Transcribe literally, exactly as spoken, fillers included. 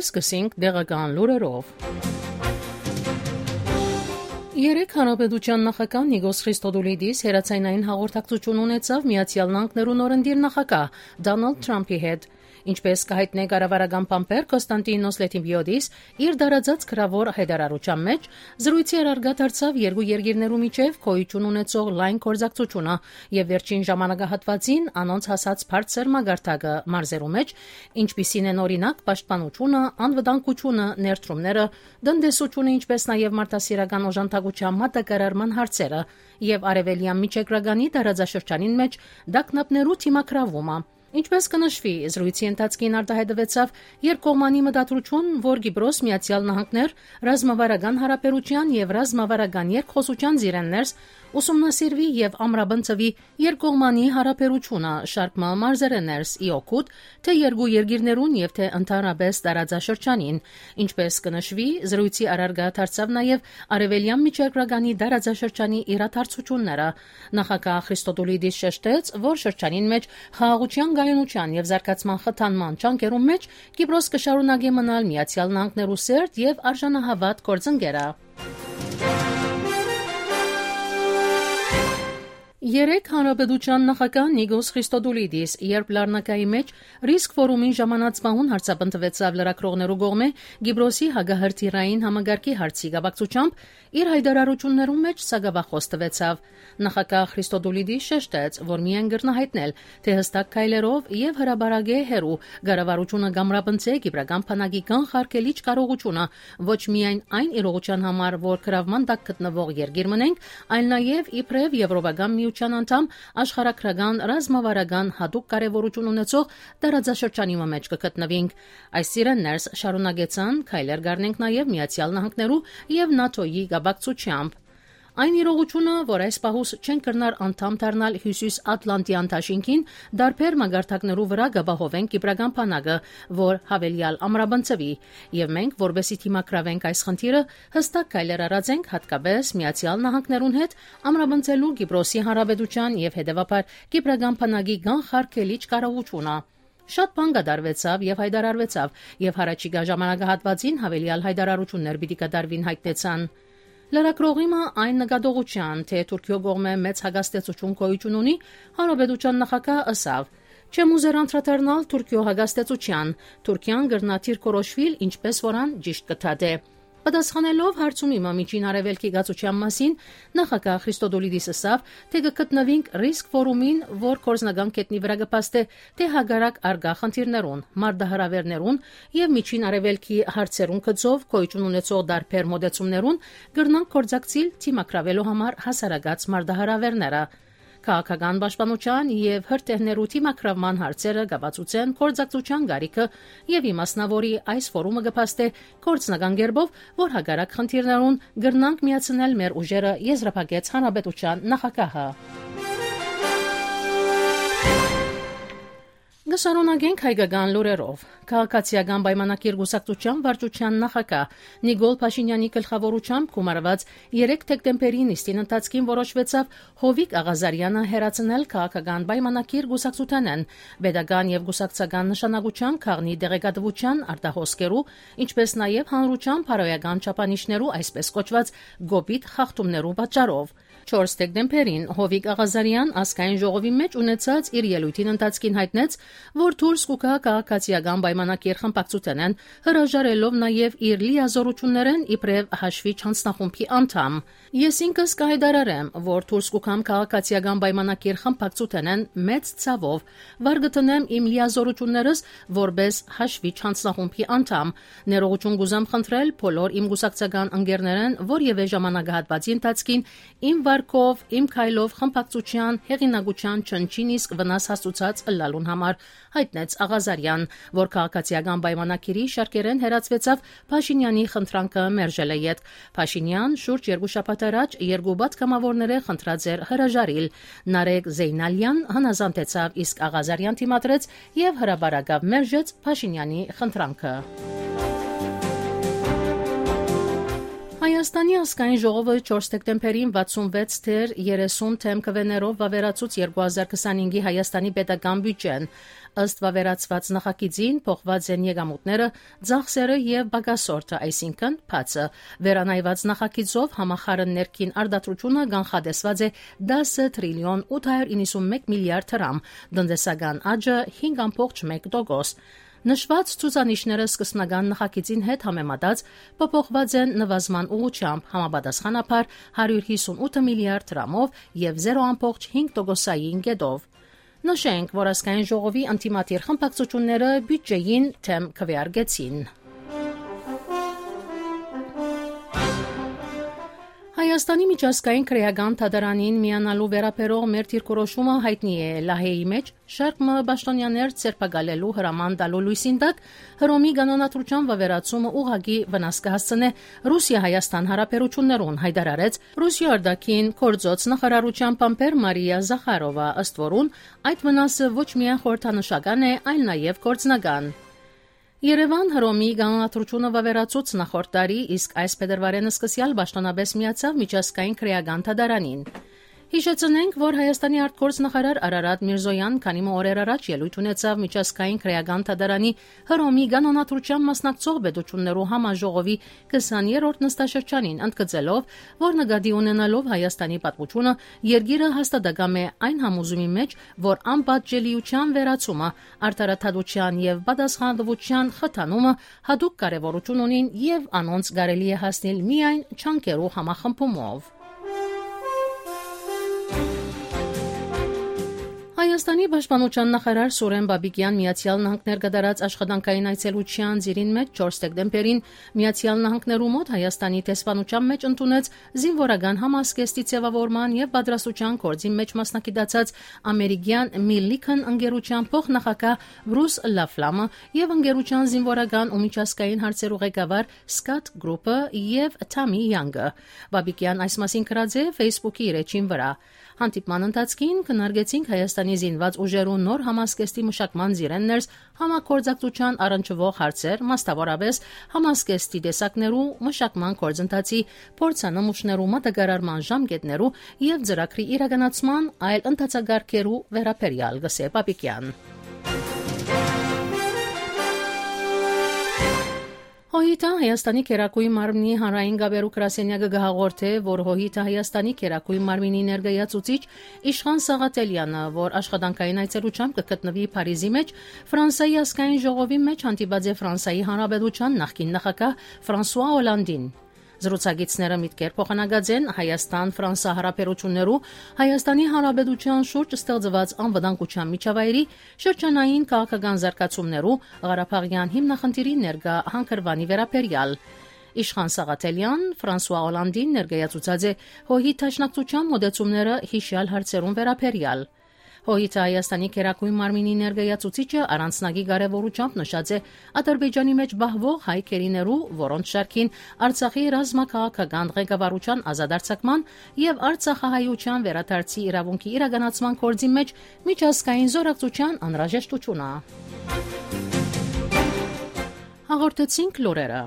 Սկսենք դեղական լուրերով։ Երեք հանրապետության նախագահ Նիկոս Խրիստոդուլիդիս հերացայնային հաղորդակցություն ունեցավ Միացյալ Նահանգներու նորընտիր նախագահ Դոնալդ Թրամփի հետ։ Ինչպես կհայտնե կառավարական պամպեր Կոստանտինոս Լետիվիոդիս իր դարաձած գրավոր հայտարարության մեջ զրույցի առարգա դարձավ երկու երկիրներու միջև գոյություն ունեցող լայն գործակցությունը եւ վերջին ժամանակահատվածին անոնց հասած բարձր մագարտակը մարզերու մեջ, ինչպիսին են օրինակ պաշտպանությունը, անվտանգությունը, ներդրումները, տնտեսությունը, ինչպես նաեւ մարդասիրական օժանդակության մատակարարման հարցերը եւ արևելյան միջերկրագանի դարաձաշրջանին մեջ դակնապներու թիմակրավումը։ Ինչպես կնշվի, զրույցի ընթացքին արտահայտվեցավ երկկողմանի մտադրություն, որ Կիպրոս, Միացյալ Նահանգներ, ռազմավարական հարաբերության եւ ռազմավարական երկխոսության զիրեններս ուսումնասիրվի եւ ամրապնդվի երկկողմանի հարաբերությունը շարք մարզերներս ի օգուտ թե երկու երկիրներուն եւ թե ընդհանրապես տարածաշրջանին, ինչպես կնշվի, զրույցի առարգա դարձավ նաեւ արևելյան միջերկրագանի տարածաշրջանի իրադարձությունները։ Նախագահ Խրիստոդուլիդիս շեշտեց, որ շրջանին մեջ խաղաղության գայունության եւ զարգացման խթանման ճանկերում մեջ Կիպրոս կշարունակի մնալ Միացյալ Նահանգներու սերտ եւ արժանահավատ գործընկերը։ Երեք հանրապետության նախագահ Նիկոս Խրիստոդուլիդիս, երբ լեռնակայի մեջ ռիսկ ֆորումին ժամանածմահուն հարցաբնթվեցավ լրագրողներու կողմէ Կիպրոսի հագահրթիռային համագարկի հարցի կապակցությամբ, իր հայտարարություններու մեջ սագավախոս տվեցավ։ Նախագահ Խրիստոդուլիդիս շեշտեց, որ միայն գրնահայտնել, թե հստակ քայլերով եւ հրաբարագե հերու կառավարությունը գամրապնցե կիպրական բանակի կանխարգելիչ կարողությունը ոչ միայն այն իրողության համար, որ գրավման տակ գտնվող երկիր մնենք, այլ նաեւ իբրև եվրոպական միության անդամ աշխարհագրական ռազմավարական հատուկ կարևորություն ունեցող տարածաշրջանի մեջ կգտնվենք։ Այս սիրեններս շարունակեցան քայլեր գարնենք նաեւ Միացյալ Նահանգներու եւ ՆԱՏՕ-ի գաբակցությամբ։ Այն իրողությունը, որ այս պահուս չեն կրնար անդամ դառնալ Հյուսիս-Ատլանտյան դաշինքին, դարբեր մագարտակներու վրա գաբահովեն կիպրական բանակը, որ հավելյալ ամրապնդվի, եւ մենք, որբեսի թիմակրավենք այս խնդիրը, հստակ քայլեր արածենք հատկապես Միացյալ Նահանգներուն հետ ամրապնդելու Կիպրոսի Հանրապետության եւ հետեւաբար կիպրական բանակի կանխարգելիչ կարողությունը։ Շատ բան կդարվեցավ եւ հայտարարվեցավ, եւ հարաճիգա ժամանակահատվածին հավելյալ հայտարարություններ պիտի կդարվին հայտնեցան։ Լրագրողիմը այն նկատողության, թե Թուրքիո կողմէ մեծ հագաստեցություն գոյություն ունի, հանրապետության նախագահ ըսավ. «Չեմ ուզեր անդրադառնալ Թուրքիո հագաստեցության, Թուրքիան գրնաթիր կորոշվիլ, ինչպես որան ճիշտ կթադե»։ Պատասխանելով հարցում իմը միջին արևելքի գացության մասին, նախագահ Խրիստոդուլիդիս ասավ, թե կգտնվենք ռիսկ ֆորումին, որ կորզնական կետնի վրա կպաստե, թե հագարակ արգա խնդիրներուն, մարդահրավերներուն եւ միջին արևելքի հարցերուն գծով գոյություն ունեցող դարբեր մոդեցումներուն գրնանք կորձակցիլ թիմակրավելու համար հասարակած մարդահրավերները։ Քաղաքական պաշտպանության եւ հրթիռներու թիմակրավման հարցերը կապացուցեն կորձակցության գարիքը եւ իմաստնավորի այս ֆորումը կփաստե կորձնական գերբով, որ հագարակ խնդիրներուն գրնանք միացնել մեր ուժերը, եզրափակեց հանրապետության նախագահը։ Գշարունակենք հայկական լուրերով։ Քաղաքացիական պայմանագիր գուսակցության վարչության նախագահ Նիկոլ Փաշինյանի գլխավորությամբ գումարված երեք դեկտեմբերի նիստին ընթացքին որոշվեցավ Հովիկ Աղազարյանը հերացնել քաղաքական պայմանագիր գուսակցությանեն, pedagogan եւ գուսակցական նշանակության քաղնի դեղեկատվության արտահոսքերու, ինչպես նաեւ հանրության բարոյական չափանիշներու այսպես կոչված գոպիտ խախտումներու պատճառով։ չորս դեկտեմբերին Հովիկ Աղազարյան ազգային ժողովի մեջ ունեցած իր ելույթին ընթացքին հայտնեց, որ դուրս կուկա քաղաքացիական պայմանագիր խմբակցությանեն հրաժարելով նաև իր լիազորություններեն իբրև հաշվի չանցնախումբի անդամ։ Ես ինքս կհայտարարեմ, որ դուրս կուկամ քաղաքացիական պայմանագիր խմբակցությանեն մեծ ցավով վարգտնեմ իմ լիազորություններս որպես հաշվի չանցնախումբի անդամ։ Ներողություն գուզամ խնդրել բոլոր իմ գուսակցական ընկերներեն, որ եւ ժամանակահատվածի ընթացքին իմ վարկով, իմ քայլով խմբակցության հեղինակության չնչին իսկ վնաս հասցուցած ըլլալուն համար, հայտնեց Աղազարյան, որ քաղաքացիական պայմանագիրի շարքերեն հերացվեցավ Փաշինյանի խնդրանքը մերժել է յետ։ Փաշինյան շուրջ երկու շաբաթ առաջ երկու պատգամավորները խնդրած էր հրաժարիլ։ Նարեկ Զեյնալյան հնազանդեցավ, իսկ Աղազարյան թիմադրեց եւ հրաբարակավ մերժեց Փաշինյանի խնդրանքը։ Հայաստանի ազգային ժողովը չորս դեկտեմբերին վաթսունվեց թեր երեսուն թեմ քվեներով վավերացուց երկու հազար քսանհինգի Հայաստանի պետական բյուջեն։ Ըստ վավերացված նախագիծին փոխված են եկամուտները, ծախսերը եւ բագասորտը, այսինքն փացը։ Վերանայված նախագիծով համախառն ներքին արտադրությունը կանխատեսված է դասը տրիլիոն ութ հարյուր իննսունմեկ միլիարդ դրամ, տնտեսական աճը հինգ կoma մեկ տոկոս։ Նշված ցուցանիշները սկզբնական նախագիծին հետ համեմատած փոփոխված են նվազման ուղղությամբ, համապատասխանաբար հարյուր հիսունութ միլիարդ դրամով եւ զերո կoma հինգ տոկոսային կետով։ Նշենք, որ ազգային ժողովի անդիմադիր խմբակցությունները բյուջեին թեմ քվեարկեցին։ Հայաստանի միջազգային քրեական թատրոնին միանալու վերաբերող մեր դիրքորոշումը հայտնի է Լահեի մեջ շարք մը պաշտոնյաներ ցերպակալելու հրաման տալու լույսին տակ Հռոմի կանոնադրության վավերացումը ուղղակի վնաս կհասցնե Ռուսիա-Հայաստան հարաբերություններուն, հայտարարեց Ռուսիա արտաքին գործոց նախարարության փամփեր Մարիա Զախարովա, ըստ որուն այդ վնասը ոչ միայն խորհրդանշական է, այլ նաև գործնական։ Երևան Հռոմի կանոնադրությունը վավերացուց նախորդ տարի, իսկ այս փետրվարին սկսյալ պաշտոնապես միացավ միջազգային քրեական թատրոնին։ Հիշեցնենք, որ Հայաստանի արտգործնախարար Արարատ Միրզոյան քանի օրեր առաջ ելույթ ունեցավ միջազգային քրեական թատրոնի Հռոմի կանոնադրության մասնակցող պետություններու համաժողովի քսաներորդ նստաշրջանին, ընդգծելով, որ նկատի ունենալով Հայաստանի պատմությունը երկիրը հաստատակամ է այն համոզումի մեջ, որ անպատժելիության վերացումը, արդարադատության եւ պատասխանատվության խթանումը հատուկ կարեւորություն ունին եւ անոնց կարելի է հասնել միայն չանկերու համախմբումով։ Հայաստանի պաշտպանության նախարար Սուրեն Բաբիկյան Միացյալ Նահանգներ կատարած աշխատանքային այցելության ծիրին մեջ չորս դեկտեմբերին Միացյալ Նահանգներու մոտ Հայաստանի տեսփանության մեջ ընդունեց զինվորական համազգեստի ձևավորման եւ պատրաստության գործի մեջ մասնակցած ամերիկյան Milliken ընկերության փոխնախագահ Բրուս Լաֆլամը եւ ընկերության զինվորական ու միջազգային հարցերու ղեկավար Scott Group-ը եւ Թամի Յանգը։ Բաբիկյան այս մասին գրած է Facebook-ի իր էջին վրա։ Հանդիպման ընթացքին քննարկեցինք Հայաստանի զինված ուժերու նոր համազգեստի մշակման ծիրեններս համագործակցության առնչվող հարցեր, մասնավորապես համազգեստի տեսակներու մշակման գործընթացի, փորձանմուշներու մատակարարման ժամկետներու եւ ծրագրի իրականացման այլ ընթացակարգերու վերաբերյալ գսե Բաբիկյան։ Հոհիտը Հայաստանի Քերակույն մարմնի հանրային գաբերու գրասենյակը գահաղորդե, որ Հոհիտը Հայաստանի Քերակույն մարմնի ներկայացուցիչ Իշխան Սաղաթելյանը, որ աշխատանքային այցելությամբ կգտնվի Փարիզի մեջ, Ֆրանսիայի ազգային ժողովի մեջ հանդիպած է Ֆրանսիայի Հանրապետության նախկին նախագահ Ֆրանսուଆ Օլանդին։ Զրուցակիցները միտքեր փոխանակած են Հայաստան-Ֆրանսա հարաբերություններու, Հայաստանի Հանրապետության շուրջ ստեղծված անվտանգության միջավայրի, շրջանային քաղաքական զարգացումներու, Ղարաբաղյան հիմնախնդիրի ներկա հանգրվանի վերաբերյալ։ Իշխան Սաղաթելյան Ֆրանսուଆ Օլանդին ներկայացուցած է Հոհի դաշնակցության մոդեցումները հիշյալ հարցերուն վերաբերյալ։ Հոհիտը Հայաստանի Քերակույն մարմինի ներկայացուցիչը առանձնագի կարևորությամբ նշած է Ադրբեջանի մեջ բահվող հայ քերիներու, որոնց շարքին Արցախի ռազմաքաղաքական ղեկավարության ազատարձակման եւ Արցախահայության վերադարձի իրավունքի իրականացման գործի մեջ միջազգային զորակցության անհրաժեշտությունը։ Հաղորդեցինք լուրերը։